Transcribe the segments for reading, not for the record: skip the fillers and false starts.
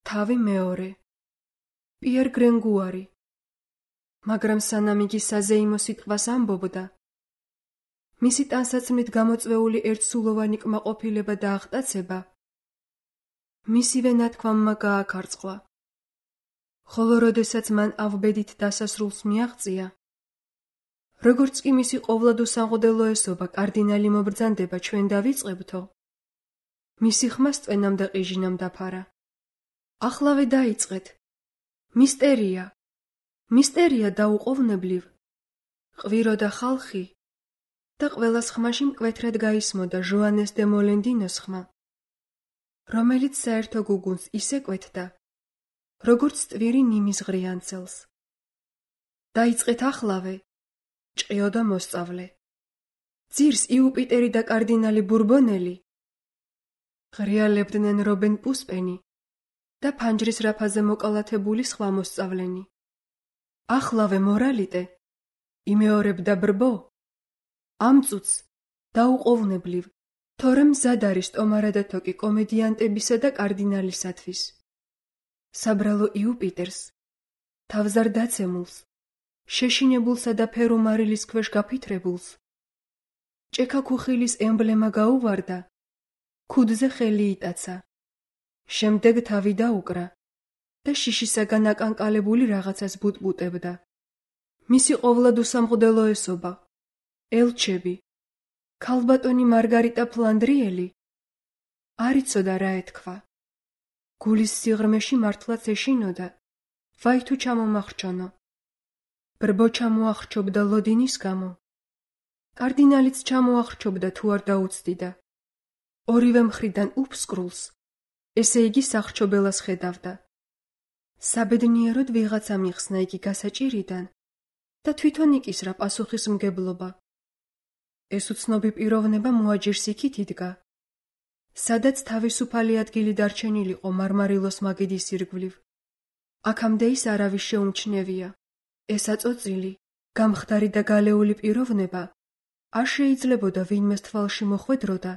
თავი მეორე. პიერ გრენგუარი. მაგრამ სანამ იგი საზეიმო სიტყვას ამბობდა, მისი ტანსაცმლით გამოწვეული ერთსულოვანი კმაყოფილება და აღტაცება მისივე ნათქვამმა გააქარწყლა. ხოლო როდესაც მან ავბედით დასასრულს მიაღწია, როგორც კი მისი ყოვლად უსამღდელოესობა კარდინალი მობრძანდება ჩვენ დავიწყებთო, მისი ხმას წვენამ და ყიჟინამ დაფარა. ახლავე დაიწყეთ. მისტერია, მისტერია დაუყოვნებლივ, ყვიროდა ხალხი და ყველას ხმაში მკვეთრად გაისმოდა ჟოანეს დე მოლენდინოს ხმა, რომელიც საერთო გუგუნს ისე კვეთდა, როგორც ტვირი ნიმის ღრიანცელს. დაიწყეთ ახლავე, ჭყიოდა მოსწავლე. ძირს იუპიტერი და კარდინალი ბურბონელი ღრიალებდნენ რობენ პუსპენი და ფანჯრის რაფაზე მოკალათებული სხვა მოსწავლენი. ახლავე მორალიტე, იმეორებდა ბრბო, ამ წუთს დაუყოვნებლივ, თორემ მზად არის ტომარა და თოკი კომედიანტებისა და კარდინალისათვის. საბრალო იუპიტერს, თავზარ დაცემულს, შეშინებულსა და ფერუმარილის ქვეშ გაფითრებულს, ჭექა ქუხილის ემბლემა გაუვარდა, ქუდზე ხელი იტაცა, შემდეგ თავი დაუკრა და შიშისაგან აკანკალებული რაღაცას ბუტბუტებდა. მისი ყოვლად უსამღდელოესობა, ელჩები, ქალბატონი მარგარიტა ფლანდრიელი არ იცოდა რა ეთქვა. გულის სიღრმეში მართლაც ეშინოდა, ვაი თუ ჩამომახრჩონო. ბრბო ჩამოახრჩობდა ლოდინის გამო, კარდინალიც ჩამოახრჩობდა თუ არ დაუცდიდა. ორივე მხრიდან უფსკრულს, ესე იგი სახრჩობელას ხედავდა. საბედნიეროდ ვიღაცა მიხსნა იგი გასაჭირიდან და თვითონ იკისრა პასუხისმგებლობა. ეს უცნობი პიროვნება მოაჯირს იქით იდგა, სადაც თავისუფალი ადგილი დარჩენილიყო მარმარილოს მაგიდის ირგვლივ. აქამდე ის არავის შეუმჩნევია. ეს აწოწილი, გამხდარი და გალეული პიროვნება არ შეიძლებოდა ვინმეს თვალში მოხვედროდა,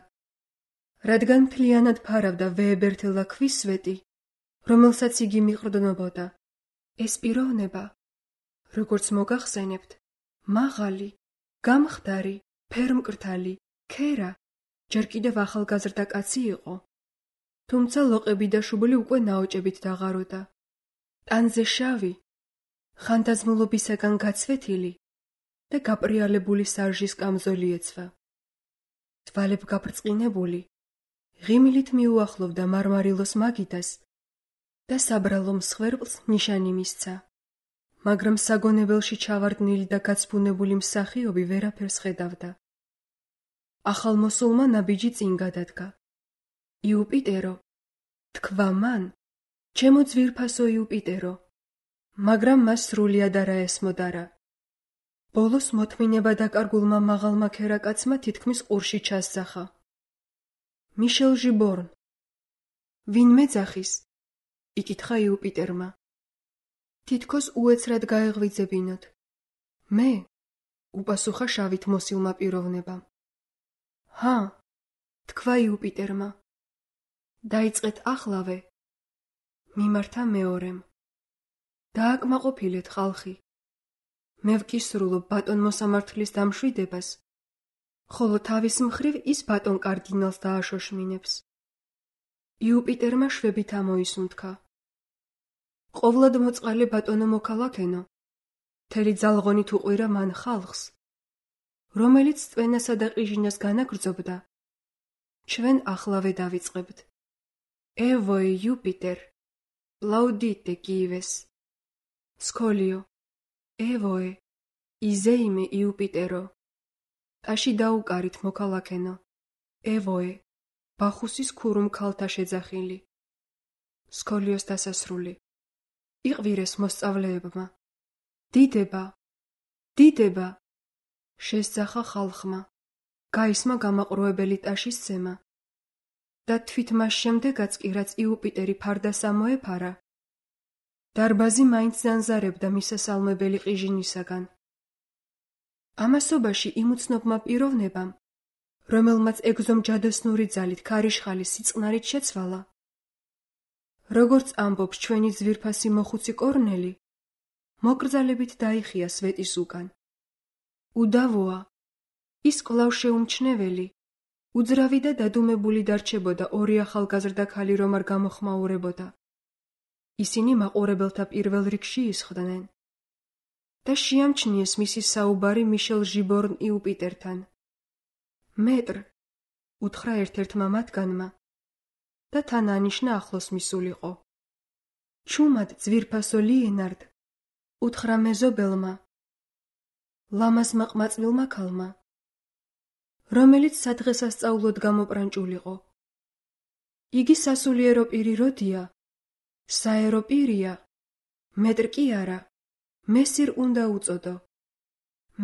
რადგან მთლიანად ფარავდა ვეებერთელა ქვის სვეტი, რომელსაც იგი მიყრდნობოდა. ეს პიროვნება, როგორც მოგახსენებთ, მაღალი, გამხდარი, ფერმკრთალი, ქერა, ჯერ კიდევ ახალგაზრდა კაცი იყო. თუმცა ლოყები და შუბლი უკვე ნაოჭებით დაღაროდა. ტანზე შავი, ხანდაზმულობისაგან გაცვეთილი და გაპრიალებული სარჟის კამზოლი ეცვა. თვალებ გაბრწყინებული, ღიმილით მიუახლოვდა მარმარილოს მაგიდას და საბრალო მსხვერპლს ნიშანი მისცა. მაგრამ საგონებელში ჩავარდნილი და გაცბუნებული მსახიობი ვერაფერს ხედავდა. ახალმოსულმა ნაბიჯი წინ გადადგა. იუპიტერო, თქვა მან, ჩემო ძვირფასო იუპიტერო, მაგრამ მას სრულიად არა ესმოდარა. ბოლოს მოთმინება დაკარგულმა მაღალმა ქერაკაცმა თითქმის ყურში ჩასძახა. მიშელ ჟიბორნ. ვინ მეძახის? იკითხა იუპიტერმა. თითქოს უეცრად გაეღვიძებინოთ. მე? უპასუხა შავით მოსილმა პიროვნებამ. ჰა, თქვა იუპიტერმა. დაიწყეთ ახლავე. მიმართა მეორემ. დააკმაყოფილეთ ხალხი. მე ვკისრულობ ბატონ მოსამართლის დამშვიდებას, ხოლო თავის მხრივ ის ბატონ კარდინალს დააშოშმინებს. იუპიტერმა შვებით ამოისუნთქა. ყოვლად მოწყალე ბატონო მოქალაქენო, მთელი ძალღონით უყვირა მან ხალხს, რომელიც წვენასა და ყიჟინას განაგრძობდა. ჩვენ ახლავე დავიწყებთ. ევოე იუპიტერ, ლაუდიტე კიივეს. სკოლიო, ევოე, იზეიმე იუპიტერო. ტაში დაუკარით მოქალაქენო. ევოე, ბახუსის ქურუმ ქალთა შეძახილი. სკოლიოს დასასრული. იყვირეს მოსწავლეებმა. დიდება, დიდება, შესძახა ხალხმა. გაისმა გამაყრუებელი ტაშის ცემა. და თვით მას შემდეგაც კი რაც იუპიტერი ფარდას ამოეფარა, დარბაზი მაინც ზანზარებდა მისასალმებელი ყიჟინისაგან. ამასობაში იმ უცნობმა პიროვნებამ, რომელმაც ეგზომ ჯადოსნური ძალით ქარიშხალი სიწყნარით შეცვალა, როგორც ამბობს ჩვენი ძვირფასი მოხუცი კორნელი, მოკრძალებით დაიხია სვეტის უკან. უდავოა, ის კვლავ შეუმჩნეველი, უძრავი და დადუმებული დარჩებოდა ორი ახალგაზრდა ქალი რომ არ გამოხმაურებოდა. ისინი მაყურებელთა პირველ რიგში ისხდნენ და შეამჩნიეს მისი საუბარი მიშელ ჟიბორნ იუპიტერთან. მეტრ, უთხრა ერთ-ერთმა მათგანმა და თან ანიშნა ახლოს მისულიყო. ჩუმად ძვირფასო ლიენარდ, უთხრა მეზობელმა, ლამაზმა ყმაწვილმა ქალმა, რომელიც სადღესასწაულოდ გამოპრანჭულიყო. იგი სასულიერო პირი როდია, საერო პირია, მეტრ კი არა, მესირ უნდა უწოდო.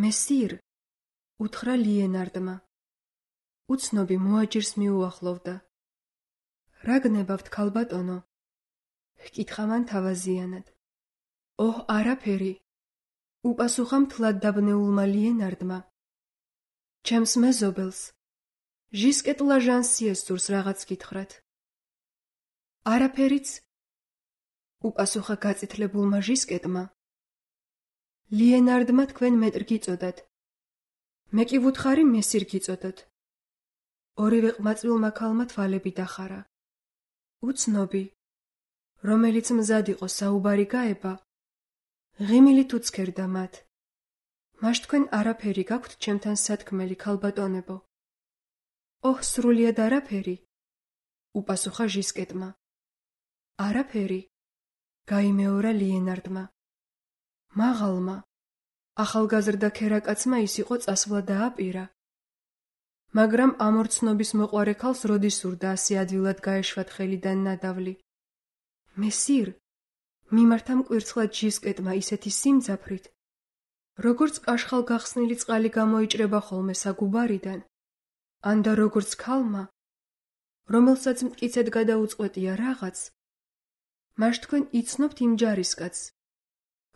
მესირ, უთხრა ლიენარდმა. უცნობი მოაჯირს მიუახლოვდა. რა გნებავთ, ქალბატონო? ჰკითხა მან თავაზიანად. ოჰ, არაფერი, უპასუხა მთლად დაბნეულმა ლიენარდმა. ჩემს მეზობელს, ჟისკეტ ლაჟანსიეს სურს რაღაც გითხრათ. არაფერიც, უპასუხა გაწითლებულმა ჟისკეტმა. ლიენარდმა თქვენ მეტრ გიწოდათ. მე კი ვუთხარი მესირ გიწოდოთ. ორივე ყმაწვილმა ქალმა თვალები დახარა. უცნობი, რომელიც მზად იყო საუბარი გაება, ღიმილით უცქერდა მათ. მაშ თქვენ არაფერი გაქვთ ჩემთან სათქმელი, ქალბატონებო? ოჰ, სრულიად არაფერი, უპასუხა ჟისკეტმა. არაფერი, გაიმეორა ლიენარდმა. მაღალმა, ახალგაზრდა ქერაკაცმა ის იყო წასვლა დააპირა. მაგრამ ამორცნობის მოყვარე ქალს როდის სურდა ასე ადვილად გაეშვათ ხელიდან ნადავლი. მესირ, მიმართა მკვირცხლად ჟისკეტმა ისეთი სიმძაფრით, როგორც კაშხალ გახსნილი წყალი გამოიჭრება ხოლმე საგუბარიდან, ან და როგორც ქალმა, რომელსაც მტკიცედ გადაუწყვეტია რაღაც, მაშ თქვენ იცნობთ იმ ჯარისკაცს,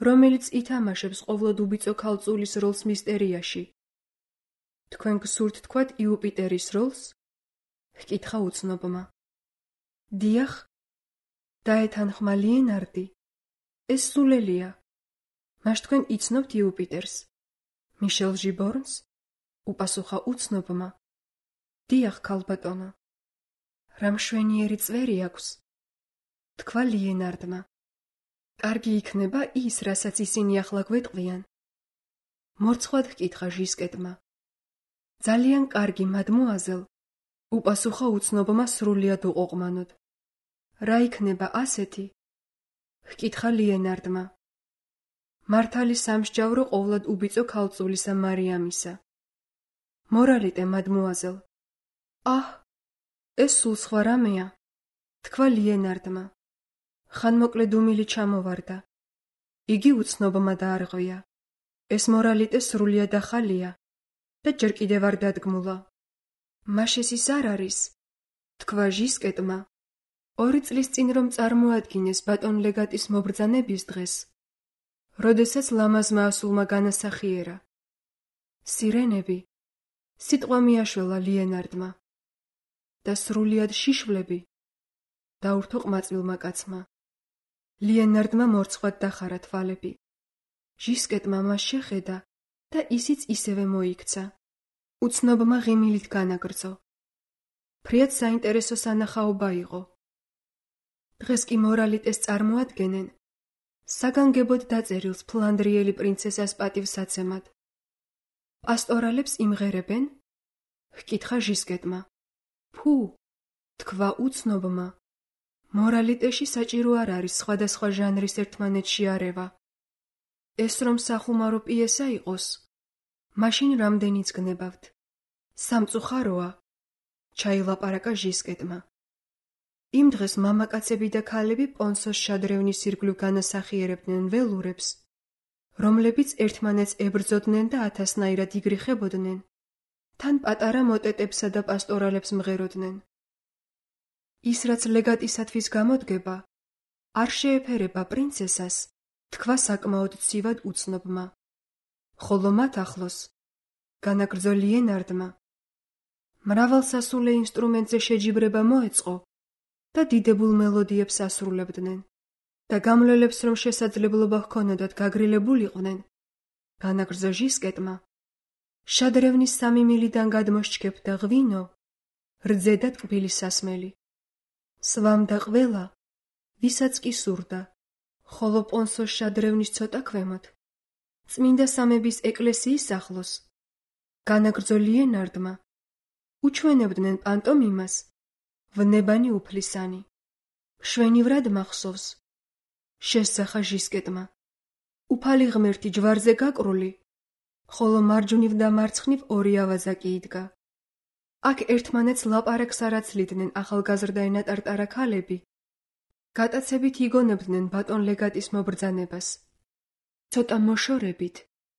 რომელიც ითამაშებს ყოვლად უბიწო ქალწულის როლს მისტერიაში. თქვენ გსურთ თქვათ იუპიტერის როლს? ჰკითხა უცნობმა. დიახ, დაეთანხმა ლიენარდი. ეს სულელია. მაშ თქვენ იცნობთ იუპიტერს? მიშელ ჟიბორნს? უპასუხა უცნობმა. დიახ, ქალბატონო. რა მშვენიერი წვერი აქვს? თქვა ლიენარდმა. კარგი იქნება ის, რასაც ისინი ახლა გვეტყვიან. მორცხვად ჰკითხა ჟისკეტმა. ძალიან კარგი, მადმუაზელ, უპასუხა უცნობმა სრულიად უყოყმანოდ. რა იქნება ასეთი? ჰკითხა ლიენარდმა. მართალი სამსჯავრო ყოვლად უბიწო ქალწულისა მარიამისა. მორალიტე, მადმუაზელ. აჰ, ეს სულ სხვა რამეა, თქვა ლიენარდმა. ხანმოკლე დუმილი ჩამოვარდა. იგი უცნობმა დაარღვია. ეს მორალიტე სრულიად ახალია და ჯერ კიდევ არ დადგმულა. მაშ ეს ის არ არის, თქვა ჟისკეტმა. 2 წლის წინ რომ წარმოადგინეს ბატონ ლეგატის მობრძანების დღეს, როდესაც ლამაზმა ასულმა განასახიერა. სირენები, სიტყვა მიაშველა ლიენარდმა. და სრულიად შიშვლები, დაურთო ყმაწვილმა კაცმა. ლიენარდმა მორცხვად დახარა თვალები. ჟისკეტმა მას შეხედა და ისიც ისევე მოიქცა. უცნობმა ღიმილით განაგრძო. ფრიად საინტერესო სანახაობა იყო. დღეს კი მორალიტეს წარმოადგენენ საგანგებოდ დაწერილს ფლანდრიელი პრინცესას პატივსაცემად. პასტორალებს იმღერებენ? ჰკითხა ჟისკეტმა. ფუ, თქვა უცნობმა. მორალიტეში საჭირო არ არის სხვადასხვა ჟანრის ერთმანეთში არევა. ეს რომ სახუმარო პიესა იყოს, მაშინ რამდენიც გნებავთ. სამწუხაროა, ჩაილაპარაკა ჟისკეტმა. იმ დღეს მამაკაცები და ქალები პონსოს შადრევნის ირგვლივ განასახიერებდნენ ველურებს, რომლებიც ერთმანეთს ებრძოდნენ და ათასნაირად იგრიხებოდნენ, თან პატარა მოტეტებსა და პასტორალებს მღეროდნენ. ის, რაც ლეგატისათვის გამოდგება, არ შეეფერება პრინცესას, თქვა საკმაოდ ცივად უცნობმა. ხოლო მათ ახლოს, განაგრძო ლიენარდმა, მრავალსასულე ინსტრუმენტზე შეჯიბრება მოეწყო და დიდებულ მელოდიებს ასრულებდნენ და გამლელებს რომ შესაძლებლობა ჰქონოდათ გაგრილებულიყვნენ, განაგრძო ჟისკეტმა, შადრევნის 3 მილიდან გადმოსჩქეფდა ღვინო, რძე და ტკბილი სასმელი. სვამდა ყველა, ვისაც კი სურდა, ხოლო პონსოს შადრევნის ცოტა ქვემოთ, წმინდა სამების ეკლესიის ახლოს, განაგრძო ლიენარდმა, უჩვენებდნენ პანტომიმას, ვნებანი უფლისანი. მშვენივრად მახსოვს, შესძახა ჟისკეტმა, უფალი ღმერთი ჯვარზე გაკრული, ხოლო მარჯვნივ და მარცხნივ 2 ავაზა კი იდგა. აქ ერთმანეთს ლაპარაკს არ აცლიდნენ ახალგაზრდა ენატარტარა ქალები. გატაცებით იგონებდნენ ბატონ ლეგატის მობრძანებას. ცოტა მოშორებით,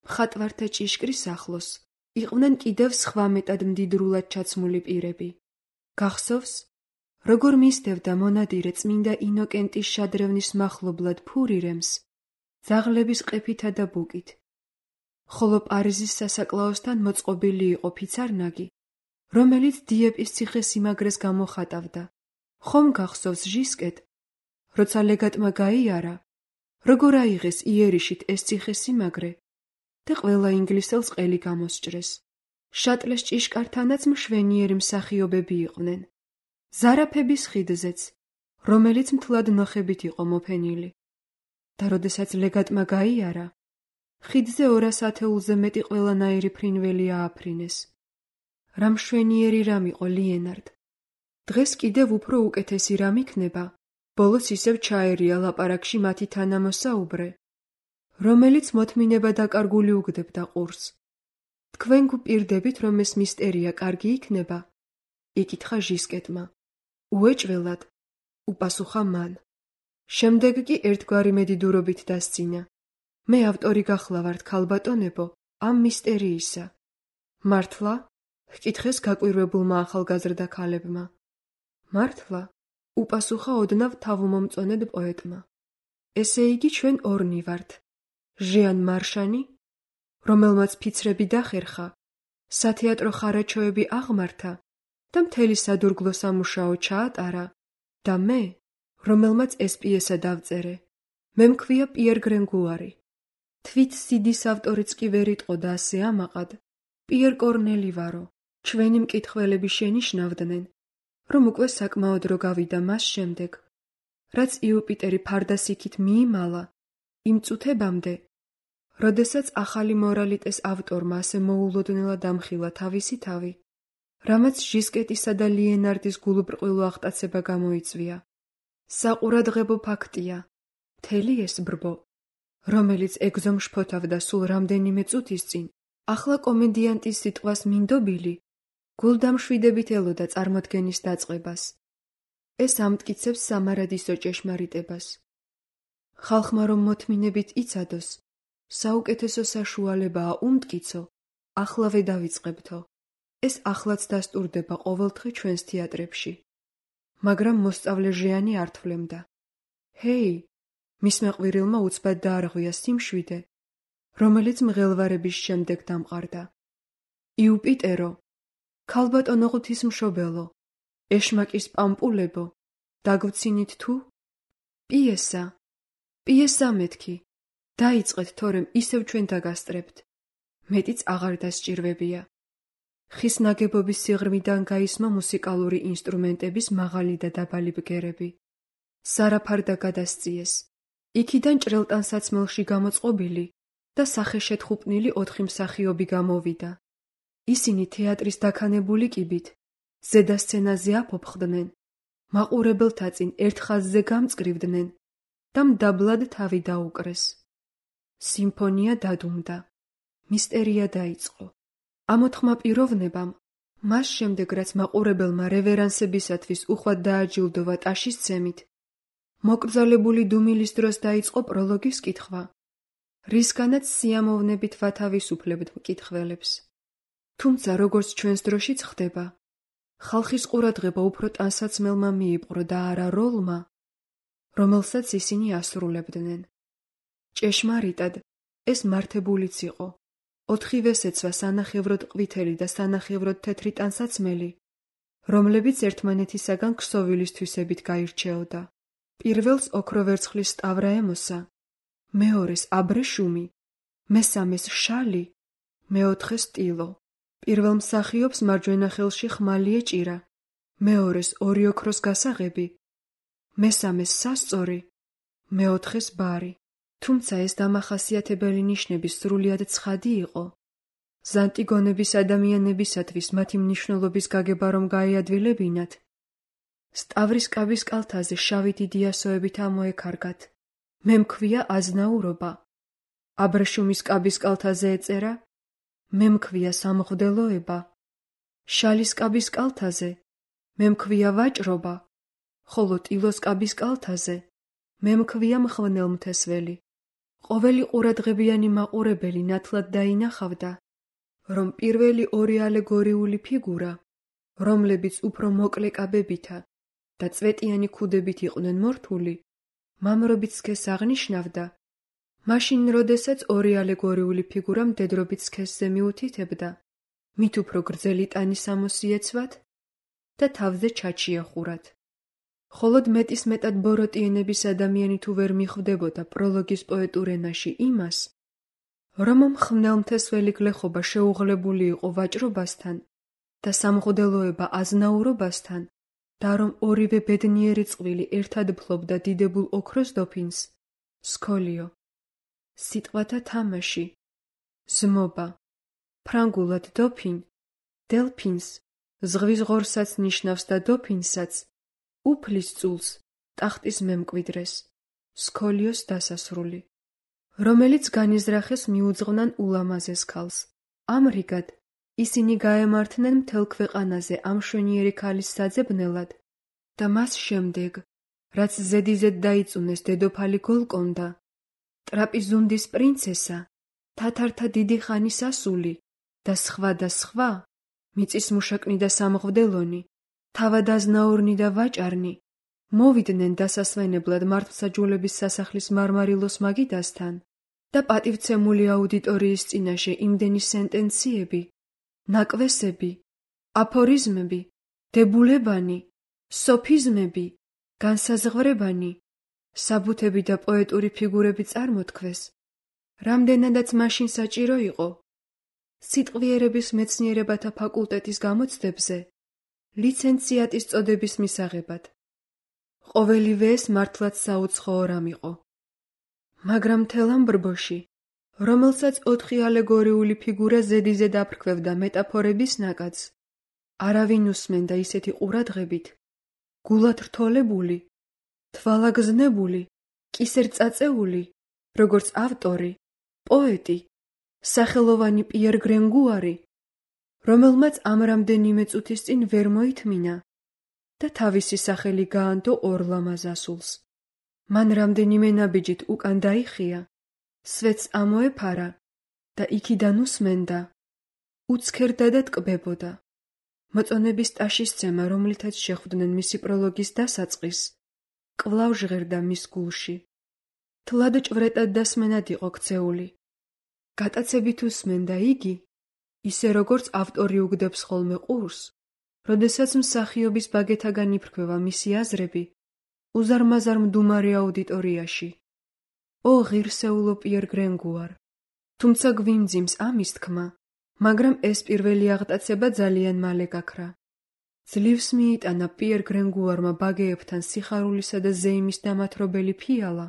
მხატვართა ჭიშკრის ახლოს, იყვნენ კიდევ სხვა მეტად მდიდრულად ჩაცმული პირები. გახსოვს, როგორ მისდევდა მონადირე წმინდა ინოკენტის შადრევნის მახლობლად ფურირემს, ძაღლების ყეფითა და ბუკით. ხოლო პარიზის სასაკლაოსთან მოწყობილი იყო ფიცარნაგი, რომელიც დიეპის ციხესიმაგრეს გამოხატავდა. ხომ გახსოვს ჟისკეტ, როცა ლეგატმა გაიარა, როგორ აიღეს იერიშით ეს ციხესიმაგრე და ყველა ინგლისელს ყელი გამოსჭრეს. შატლეს ჭიშკართანაც მშვენიერი მსახიობები იყვნენ. ზარაფების ხიდზეც, რომელიც მთლად ნოხებით იყო მოფენილი. და როდესაც ლეგატმა გაიარა, ხიდზე 200 ათეულზე მეტი ყველანაირი ფრინველი ააფრინეს. რა მშვენიერი რამ იყო ლიენარდ. დღეს კიდევ უფრო უკეთესი რამ იქნება, ბოლოს ისევ ჩაერია ლაპარაკში მათი თანამოსაუბრე, რომელიც მოთმინება დაკარგული უგდებდა ყურს. თქვენ გვპირდებით, რომ ეს მისტერია კარგი იქნება? იკითხა ჟისკეტმა. უეჭველად, უპასუხა მან. შემდეგ კი ერთგვარი მედიდურობით დასცინა. მე ავტორი გახლავართ, ქალბატონებო, ამ მისტერიისა. მართლა? ჰკითხეს გაკვირვებულმა ახალგაზრდა ქალებმა. მართლა? უპასუხა ოდნავ თავმომწონედ პოეტმა. ესე იგი ჩვენ ორნი ვართ. ჟიან მარშანი, რომელმაც ფიცრები დახერხა, სათეატრო ხარაჩოები აღმართა და მთელი სადურგლო სამუშაო ჩაატარა, და მე, რომელმაც ეს პიესა დავწერე. მე მქვია პიერ გრენგუარი. თვით სიდის ავტორიც კი ვერ იტყოდა ასე ამაყად. პიერ კორნელი ვარო. ჩვენი მკითხველები შენიშნავდნენ, რომ უკვე საკმაოდ დრო გავიდა მას შემდეგ, რაც იუპიტერი ფარდასიქით მიიმალა, იმ წუთებამდე, როდესაც ახალი მორალიტეს ავტორმა ასე მოულოდნელად ამხილა თავისი თავი, რამაც ჟისკეტისა და ლიენარდის გულუბრყვილო აღტაცება გამოიწვია. საყურადღებო ფაქტია, მთელი ეს ბრბო, რომელიც ეგზომ შფოთავდა სულ რამდენიმე წუთის წინ, ახლა კომედიანტის სიტყვას მინდობილი, გულდამშვიდებით ელოდა წარმოდგენის დაწყებას. ეს ამტკიცებს სამარადისო ჭეშმარიტებას. ხალხმა რომ მოთმინებით იცადოს, საუკეთესო საშუალებაა უმტკიცო, ახლავე დავიწყებთო. ეს ახლაც დასტურდება ყოველდღე ჩვენს თეატრებში. მაგრამ მოსწავლე ჟიანი არ თვლემდა. ჰეი, მისმა ყვირილმა უცბად დაარღვია სიმშვიდე, რომელიც მღელვარების შემდეგ დამყარდა. იუპიტერო, ქალბატონო ღვთისმშობელო, ეშმაკის პამპულებო, დაგვცინით თუ? პიესა მეთქი, დაიწყეთ, თორემ ისევ ჩვენ დაგასწრებთ. მეტიც აღარ დასჭირვებია. ხის ნაგებობის სიღრმიდან გაისმა მუსიკალური ინსტრუმენტების მაღალი და დაბალი ბგერები. სარაფარდა გადასწიეს. იქიდან ჭრელტანსაცმელში გამოწყობილი და სახეშეთხუპნილი 4 მსახიობი გამოვიდა. ისინი თეატრის დაქანებული კიბით, ზედა სცენაზე აფოფხდნენ, მაყურებელთა წინ ერთ ხაზზე გამწკრივდნენ და მდაბლად თავი დაუკრეს. სიმფონია დადუმდა. მისტერია დაიწყო. ამოთხმა პიროვნებამ, მას შემდეგ რაც მაყურებელმა რევერანსებისათვის უხვად დააჯილდოვა ტაშის ცემით, მოკრძალებული დუმილის დროს დაიწყო პროლოგის კითხვა, რისგანაც სიამოვნებით ვათავისუფლებთ მკითხველებს. თუმცა როგორც ჩვენს დროშიც ხდება, ხალხის ყურადღება უფრო ტანსაცმელმა მიიპყრო და არა როლმა, რომელსაც ისინი ასრულებდნენ. ჭეშმარიტად, ეს მართებულიც იყო. 4-ვეს ეცვა სანახევროდ ყვითელი და სანახევროდ თეთრი ტანსაცმელი, რომლებიც ერთმანეთისაგან ქსოვილის თვისებით გაირჩეოდა. პირველს ოქრო ვერცხლის სტავრა ემოსა, მეორეს აბრეშუმი, მესამეს შალი, მეოთხეს ტილო. პირველ მსახიობს მარჯვენა ხელში ხმალი ეჭირა, მეორეს ორი ოქროს გასაღები, მესამეს სასწორი, მეოთხეს ბარი. თუმცა ეს დამახასიათებელი ნიშნები სრულიად ცხადი იყო. ზანტიგონების ადამიანებისათვის მათი მნიშვნელობის გაგება რომ გაეადვილებინათ, სტავრის კაბის კალთაზე შავი დიდი ასოებით ამოეკარგათ. მე მქვია აზნაურობა. აბრეშუმის კაბის კალთაზე ეწერა, მე მქვია სამღვდელოება. შალის კაბის კალთაზე მე მქვია ვაჭრობა, ხოლო ტილოს კაბის კალთაზე მე მქვია მღვდელმთესველი. ყოველი ყურადღებიანი მაყურებელი ნათლად დაინახავდა, რომ პირველი ორი ალეგორიული ფიგურა, რომლებიც უფრო მოკლე კაბებითა და წვეტიანი ქუდებით იყვნენ მორთული, მამრობით სქესს აღნიშნავდა, მაშინ როდესაც ორი ალეგორიული ფიგურა მდედრობით სქესზე მიუთითებდა, მით უფრო გრძელი ტანის ამოსიეცვათ და თავზე ჩაჩი ეხურათ. ხოლოდ მეტის მეტად ბოროტიენების ადამიანი თუ ვერ მიხვდებოდა პროლოგის პოეტურ ენაში იმას, რომ მღვდელმთესველი გლეხობა შეუღლებული იყო ვაჭრობასთან და სამღვდელოება აზნაურობასთან და რომ ორივე ბედნიერი წყვილი ერთად ფლობდა დიდებულ ოქროს დოფინს, სქოლიო. სიტყვათა თამაში, ზმობა, ფრანგულად დოფინ, დელფინს, ზღვის ღორსაც ნიშნავს და დოფინსაც, უფლის წულს, ტახტის მემკვიდრეს, სქოლიოს დასასრული, რომელიც განიზრახეს მიუძღვნან ულამაზეს ქალს. ამრიგად, ისინი გაემართნენ მთელ ქვეყანაზე ამ მშვენიერი ქალის საძებნელად და მას შემდეგ, რაც ზედიზედ დაიწუნეს დედოფალი გოლკონდა, ტრაპიზუნდის პრინცესა, თათართა დიდი ხანის ასული და სხვა, მიწისმუშაკნი და სამღვდელონი, თავადაზნაურნი და ვაჭარნი, მოვიდნენ დასასვენებლად მართლმსაჯულების სასახლის მარმარილოს მაგიდასთან და პატივცემული აუდიტორიის წინაშე იმდენი სენტენციები, ნაკვესები, აფორიზმები, დებულებანი, სოფიზმები, განსაზღვრებანი, საბუთები და პოეტური ფიგურები წარმოთქვეს, რამდენადაც მაშინ საჭირო იყო, სიტყვიერების მეცნიერებათა ფაკულტეტის გამოცდებზე, ლიცენციატის წოდების მისაღებად. ყოველივე ეს მართლაც საუცხოო რამ იყო. მაგრამ მთელ ამ ბრბოში, რომელსაც 4 ალეგორიული ფიგურა ზედიზედ აფრქვევდა მეტაფორების ნაკადს, არავინ უსმენდა ისეთი ყურადღებით, გულად რთოლებული, თვალაგზნებული, კისერწაწეული, როგორც ავტორი, პოეტი, სახელოვანი პიერ გრენგუარი, რომელმაც ამ რამდენიმე წუთის წინ ვერ მოითმინა და თავისი სახელი გაანდო ორ ლამაზ ასულს. მან რამდენიმე ნაბიჯით უკან დაიხია, სვეტს ამოეფარა და იქიდან უსმენდა, უცქერდა და ტკბებოდა. მოწონების ტაშისცემა, რომლითაც შეხვდნენ მისი პროლოგის დასაწყისს, კვლავ ჟღერდა მის გულში. თლად ჭვრეტად და სმენად იყო ქცეული. გატაცებით უსმენდა იგი, ისე როგორც ავტორი უგდებს ხოლმე ყურს, როდესაც მსახიობის ბაგეთაგან იფრქვევა მისი აზრები, უზარმაზარ მდუმარე აუდიტორიაში. ო ღირსეულო პიერ გრენგუარ, თუმცა გვიმძიმს ამის თქმა, მაგრამ ეს პირველი აღტაცება ძალიან მალე გაქრა. ძლივს მიიტანა პიერ გრენგუარმა ბაგეებთან სიხარულისა და ზეიმის დამათრობელი ფიალა,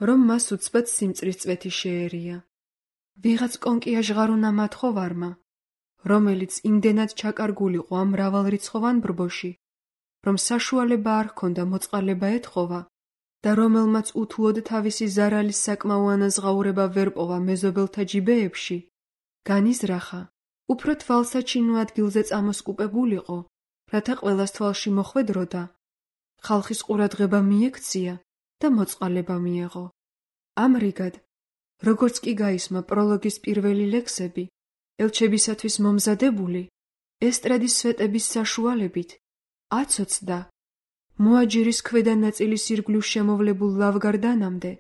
რომ მას უცბად სიმწრის წვეთი შეერია. ვიღაც კონკია ჟღარუნა მათხოვარმა, რომელიც იმდენად ჩაკარგულიყო ამ მრავალრიცხოვან ბრბოში, რომ საშუალება არ ჰქონდა მოწყალება ეთხოვა და რომელმაც უთუოდ თავისი ზარალის საკმაო ანაზღაურება ვერ პოვა მეზობელთა ჯიბეებში, განიზრახა, უფრო თვალსაჩინო ადგილზე წამოსკუპებულიყო, რათა ყველას თვალში მოხვედროდა, ხალხის ყურადღება მიექცია და მოწყალება მიეღო. ამრიგად, როგორც კი გაისმა პროლოგის პირველი ლექსები, ელჩებისათვის მომზადებული, ესტრადის სვეტების საშუალებით, აცოცდა, მოაჯირის ქვედა ნაწილის ირგვლივ შემოვლებულ ლავგარდანამდე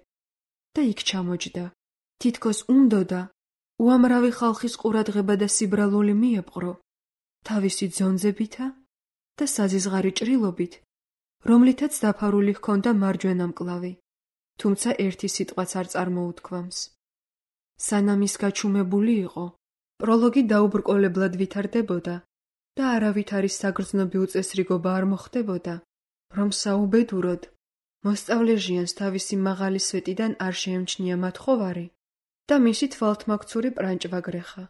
და იქ ჩამოჯდა, თითქოს უნდოდა, უამრავი ხალხის ყურადღება და სიბრალული მიეპყრო, თავისი ძონძებითა და საზიზღარი ჭრილობით, რომლითაც დაფარული ჰქონდა მარჯვენა მკლავი, თუმცა ერთი სიტყვაც არ წარმოუთქვამს. სანამ ის გაჩუმებული იყო, პროლოგი დაუბრკოლებლად ვითარდებოდა და არავითარი საგრძნობი უწესრიგობა არ მოხდებოდა, რომ საუბედუროდ მოსწავლე ჟიანს თავისი მაღალი სვეტიდან არ შეემჩნია მათხოვარი და მისი თვალთმაქცური პრანჭვა გრეხა.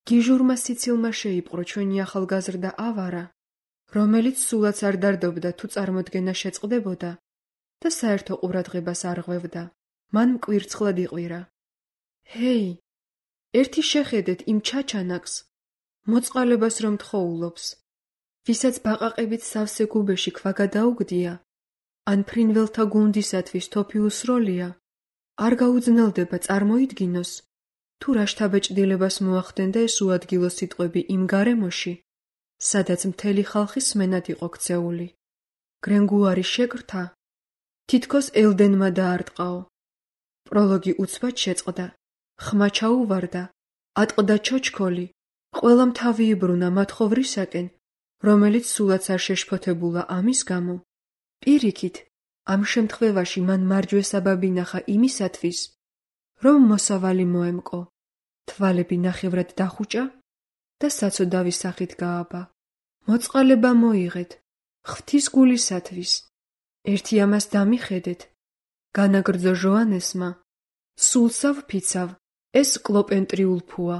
გიჟურმა სიცილმა შეიპყრო ჩვენი ახალგაზრდა ავარა, რომელიც სულაც არ დარდობდა თუ წარმოდგენა შეწყდებოდა და საერთო ყურადღებას არ ღვევდა. მან მკვირცხლად იყვირა. ჰეი, ერთი შეხედეთ იმ ჩაჩანაკს, მოწყალებას რომ თხოვულობს, ვისაც ბაყაყებით სავსე გუბეში ქვა გადაუგდია, ან ფრინველთა გუნდისათვის თოფი უსროლია, არ გაუძნელდება წარმოიდგინოს, თუ რა შთაბეჭდილებას მოახდენდა ეს უადგილო სიტყვები იმ გარემოში, სადაც მთელი ხალხი სმენად იყო ქცეული. გრენგუარი შეკრთა, თითქოს ელდენმა დაარტყაო. პროლოგი უცბად შეწყდა, ხმა ჩაუვარდა, ატყდა ჩოჩქოლი, ყველამ თავი იბრუნა მათხოვრისაკენ, რომელიც სულაც არ შეშფოთებულა ამის გამო. პირიქით, ამ შემთხვევაში მან მარჯვესაბაბი ნახა იმისათვის, რომ მოსავალი მოემკო, თვალები ნახევრად დახუჭა და საცოდავის სახით გააბა. მოწყალება მოიღეთ, ღვთის გულისათვის. ერთი ამას დამიხედეთ, განაგრძო ჟოანესმა, სულსავ ფიცავ, ეს კლოპენტრიულფუა.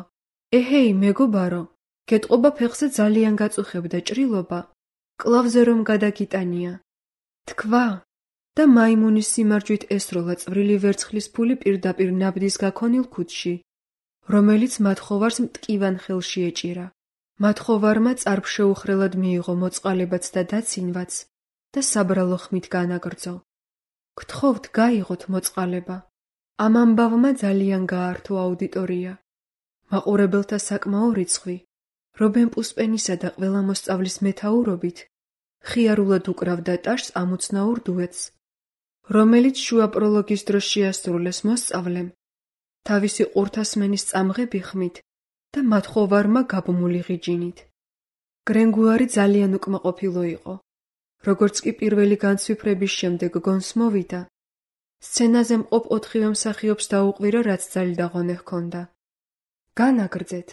ეჰეი, მეგობარო, გეტყობა ფეხზე ძალიან გაწუხებდა ჭრილობა, კლავზე რომ გადაგიტანია. თქვა და მაიმუნის სიმარჯვით ესროლა წვრილი ვერცხლის ფული პირდაპირ ნაბდის გაქონილ ქუდში, რომელიც მათხოვარს მტკივან ხელში ეჭირა. მათხოვარმა წარბშეუხრელად მიიღო მოწყალებაც და დაცინვაც და საბრალო ხმით განაგრძო. გთხოვთ, გაიღოთ მოწყალება. ამ ამბავმა ძალიან გაართო აუდიტორია. მაყურებელთა საკმაო რიცხვი, რობენ პუსპენისა და ყველა მოსწავლის მეთაურობით, ხიარულად უკრავდა ტაშს ამოცნაურ დუეტს, რომელიც შუა პროლოგის დროს შეასრულეს მოსწავლემ, თავისი ყურთასმენის წამღები ხმით და მათხოვარმა გაბმული ღიჯინით. გრენგუარი ძალიან უკმაყოფილო იყო. როგორც კი პირველი განცვიფრების შემდეგ გონს მოვიდა, სცენაზე მყოფ 4-ვე მსახიობს დაუყვირა, რაც ძალდაღონე ჰქონდა. განაგრძეთ.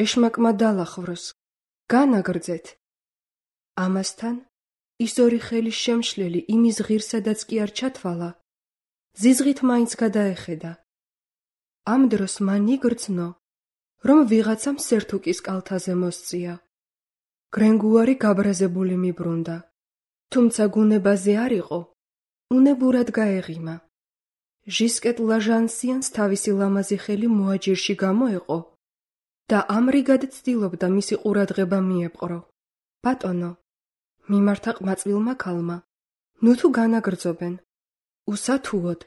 ეშმაკმა დალახვროს. განაგრძეთ. ამასთან, ის ორი ხელის შემშლელი იმის ღირსადაც კი არ ჩათვალა, ზიზღით მაინც გადაეხედა. ამ დროს მან იგრძნო, რომ ვიღაცამ სერთუკის კალთაზე მოსწია. გრენგუარი გაბრაზებული მიბრუნდა, თუმცა გუნებაზე არ იყო, უნებურად გაეღიმა. ჟისკეტ ლაჟანსიანს თავისი ლამაზი ხელი მოაჯირში გამოეყო და ამრიგად ცდილობდა მისი ყურადღება მიეპყრო. ბატონო, მიმართა ყმაწვილმა ქალმა, ნუ თუ განაგრძობენ. უსათუოდ,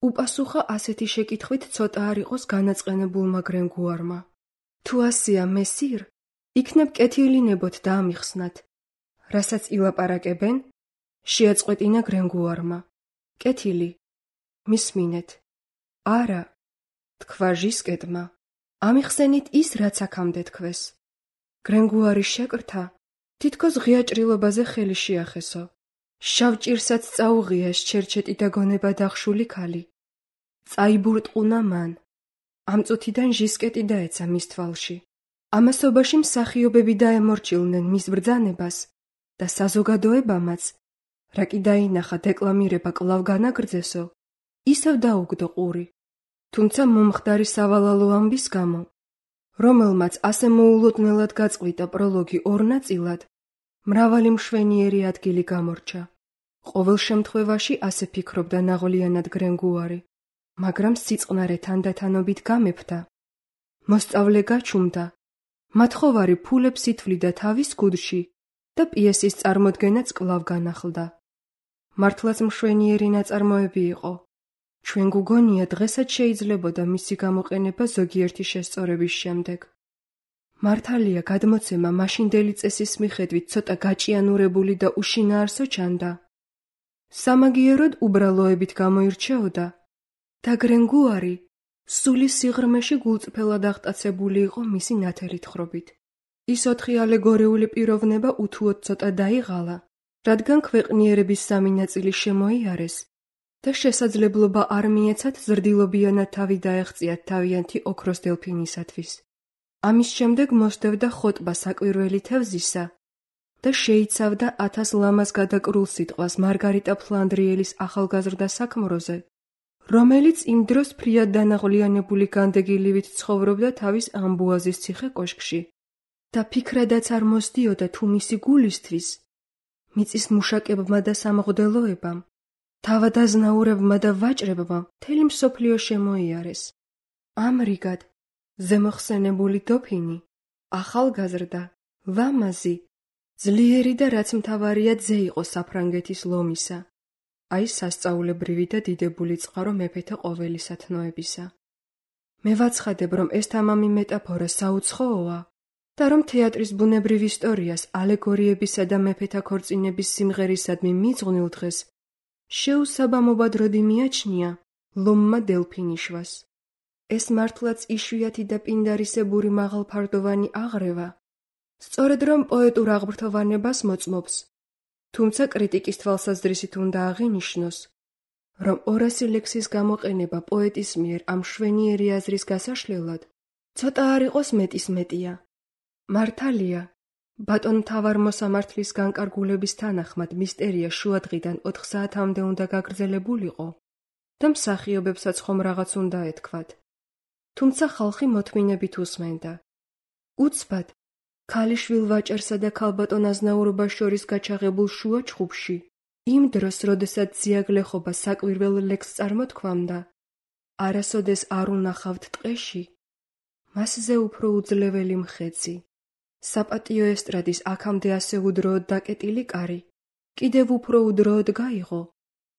უპასუხა ასეთი შეკითხვით ცოტა არ იყოს განაწყენებულმა გრენგუარმა. თუ ასია მესիր, იქნებ კეთილინებოთ და ამიხსნათ. რასაც ილაპარაკებენ, შეაწყვეტინა გრენგუარმა. კეთილი, მისმინეთ. არა, თქვა ჟისკეტმა, ამიხსენით ის, რაც აქამდე თქვეს. გრენგუარი შეკრთა, თითქოს ღია ჭრილობაზე ხელი შეახესო. შავ ჭირსაც წაუღია ეს ჩერჩეტი და გონება დახშული ქალი. წაიბურტყუნა მან. ამ წუთიდან ჟისკეტი დაეცა მის თვალში. ამასობაში მსახიობები დაემორჩილნენ მის ბრძანებას და საზოგადოებამაც, რა კი დაინახა დეკლამირება კვლავ განაგრძესო, ისევ დაუგდო ყური. თუმცა მომხდარი სავალალო ამბის გამო, რომელმაც ასე მოულოდნელად გაწყვიტა პროლოგი ორ ნაწილად, მრავალი მშვენიერი ადგილი გამორჩა. ყოველ შემთხვევაში ასე ფიქრობდა ნაღვლიანად გრენგუარი, მაგრამ სიწყნარე თანდათანობით გამეფდა. მოსწავლე გაჩუმდა, მათხოვარი ფულებს ითვლიდა თავის ქუდში და პიესის წარმოდგენაც კვლავ განახლდა. მართლაც მშვენიერი ნაწარმოები იყო. ჩვენ გუგონია დღესაც შეიძლებოდა მისი გამოყენება ზოგიერთი შესწორების შემდეგ. მართალია გადმოცემა მაშინდელი წესის მიხედვით ცოტა გაჭიანურებული და უშინაარსო ჩანდა. სამაგიეროდ უბრალოებით გამოირჩეოდა და გრენგუარი სულის სიღრმეში გულწრფელად აღტაცებული იყო მისი ნათელი თხრობით. ის 4 ალეგორიული პიროვნება უთუოდ ცოტა დაიღალა, რადგან ქვეყნიერების სამი ნაწილი შემოიარეს და შესაძლებლობა არ მიეცათ ზრდილობიანად თავი დაეღწიათ თავიანთი ოქროს დელფინისათვის. ამის შემდეგ მოსდევდა ხოტბა საკვირველი თევზისა და შეიცავდა 1000 ლამაზ გადაკრულ სიტყვას მარგარიტა ფლანდრიელის ახალგაზრდა საქმროზე, რომელიც იმ დროს ფრიად დანაღვლიანებული განდეგილივით ცხოვრობდა თავის ამბუაზის ციხე-კოშკში და ფიქრადაც არ მოსდიოდა თუ მისი გულისთვის, მიწის მუშაკებმა და სამღვდელოებამ, თავადაზნაურებმა და ვაჭრებმა მთელი მსოფლიო შემოიარეს. ამრიგად, ზემოხსენებული დოფინი, ახალგაზრდა, ლამაზი, ძლიერი და რაც მთავარია ძე იყო საფრანგეთის ლომისა, აი სასწაულებრივი და დიდებული წყარო მეფეთა ყოველისათნოებისა. მე ვაცხადებ, რომ ეს თამამი მეტაფორა საუცხოოა და რომ თეატრის ბუნებრივ ისტორიას ალეგორიებისა და მეფეთა ქორწინების სიმღერისადმი მიძღვნილ დღეს შეუსაბამობად როდი მიაჩნია ლომმა დელფინიშვას. ეს მართლაც იშვიათი და პინდარისებური მაღალფარდოვანი აღრევა, სწორედ რომ პოეტურ აღბრთოვანებას მოწმობს, თუმცა კრიტიკის თვალსაზრისით უნდა აღინიშნოს, რომ 200 ლექსის გამოყენება პოეტის მიერ ამ მშვენიერი აზრის გასაშლელად ცოტა არ იყოს მეტის მეტია. მართალია, ბატონ მთავარ მოსამართლის განკარგულების თანახმად მისტერია შუადღიდან 4 საათამდე უნდა გაგრძელებულიყო და მსახიობებსაც ხომ რაღაც უნდა ეთქვათ. თუმცა ხალხი მოთმინებით უსმენდა. უცბად, ქალიშვილ ვაჭერსა და ქალბატონ აზნაურობას შორის გაჩაღებულ შუა ჩხუბში, იმ დროს, როდესაც ძიაგლეხობა საკვირველ ლექსს წარმოთქვამდა, არასოდეს არ უნახავთ ტყეში, მასზე უფრო უძლეველი მხეცი. საპატიო ესტრადის აქამდე ასე უდროოდ დაკეტილი კარი, კიდევ უფრო უდროოდ გაიღო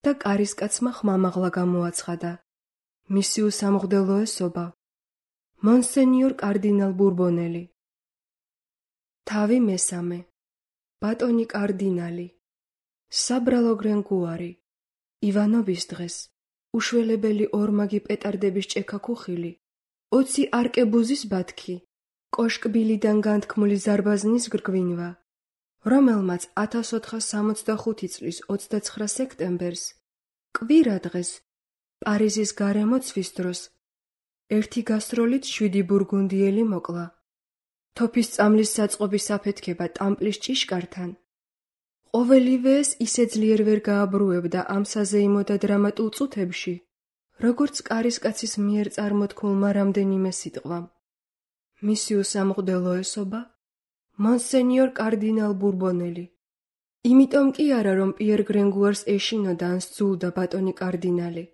და კარისკაცმა ხმამაღლა გამოაცხადა. მისი უსამღვდელოესობა, მონსენიორ კარდინალ ბურბონელი. თავი მესამე, ბატონი კარდინალი, საბრალო გრენგუარი, ივანობის დღეს, უშველებელი ორმაგი პეტარდების ჭექა ქუხილი, 20 არკებუზის ბათქი, კოშკბილიდან განთქმული ზარბაზნის გრგვინვა, რომელმაც 1465 წლის 29 სექტემბერს, კვირა დღეს, პარიზის გარემოცვის დროს, ერთი გასტროლით 7 ბურგუნდიელი მოკლა. თოფის წამლის საწყობის აფეთქება ტამპლის ჭიშკართან. ყოველივე ეს ისე ძლიერ ვერ გააბრუებდა ამ საზეიმო და დრამატულ წუთებში, როგორც კარისკაცის მიერ წარმოთქმულმა რამდენიმე სიტყვამ. მისი უსამღვდელოესობა, მონსენიორ კარდინალ ბურბონელი. იმიტომ კი არა, რომ პიერ გრენგუარს ეშინოდა ან სძულდა ბატონი კარდინალი.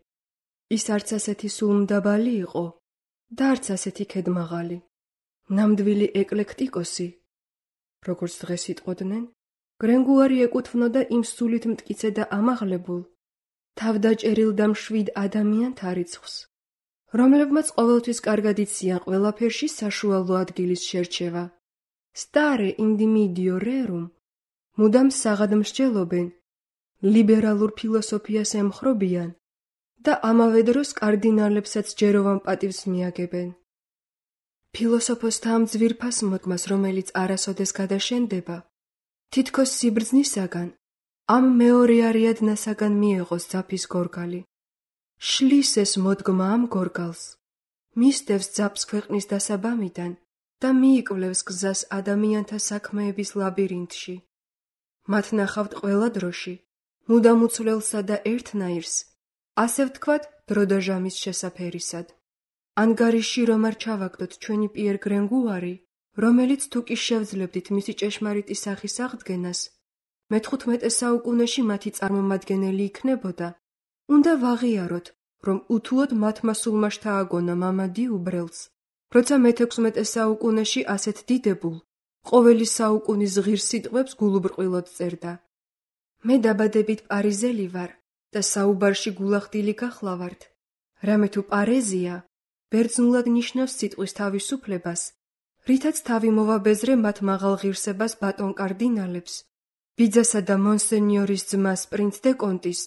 ის არც ასეთი სულმდაბალი იყო და არც ასეთი ქედმაღალი. ნამდვილი ეკლექტიკოსი, როგორც დღეს იტყოდნენ, გრენგუარი ეკუთვნოდა იმ სულით მტკიცე და ამაღლებულ, თავდაჭერილ და მშვიდ ადამიანთა რიცხვს, რომლებმაც ყოველთვის კარგად იციან ყველაფერში საშუალო ადგილის შერჩევა. სტარე ინდიმიდიო რერუმ, მუდამ საღად მსჯელობენ, ლიბერალურ ფილოსოფიას ემხრობიან და ამავე დროს კარდინალებსაც ჯეროვან პატივს მიაგებენ. ფილოსოფოსთა ამ ძვირფას მოდგმას, რომელიც არასოდეს გადაშენდება, თითქოს სიბრძნისაგან, ამ მეორე არიადნასაგან მიეღოს ძაფის გორგალი. შლის ეს მოდგმა ამ გორგალს, მისდევს ძაფს ქვეყნის დასაბამიდან და მიიკვლევს გზას ადამიანთა საქმეების ლაბირინთში. მათ ნახავთ ყველა დროში, მუდამ უცვლელსა და ერთნაირს, ასე ვთქვათ, დრო და ჟამის შესაფერისად. ანგარიში რომ არ ჩავაგდოთ ჩვენი პიერ გრენგუარი, რომელიც თუ კი შევძლებდით მისი ჭეშმარიტი სახის აღდგენას, მე-15 საუკუნეში მათი წარმომადგენელი იქნებოდა, უნდა ვაღიაროთ, რომ უთუოდ მათმა სულმა შთააგონა მამადი უბრელს, როცა მე-16 საუკუნეში ასეთ დიდებულ, ყოველი საუკუნის ღირს სიტყვებს გულუბრყვილოდ წერდა. მე დაბადებით პარიზელი ვარ და საუბარში გულახდილი გახლავართ, რამე თუ პარეზია, ბერძნულად ნიშნავს სიტყვის თავისუფლებას, რითაც თავი მოვაბეზრე მათ მაღალ ღირსებას ბატონ კარდინალებს, ბიძასა და მონსენიორის ძმას პრინც დე კონტის,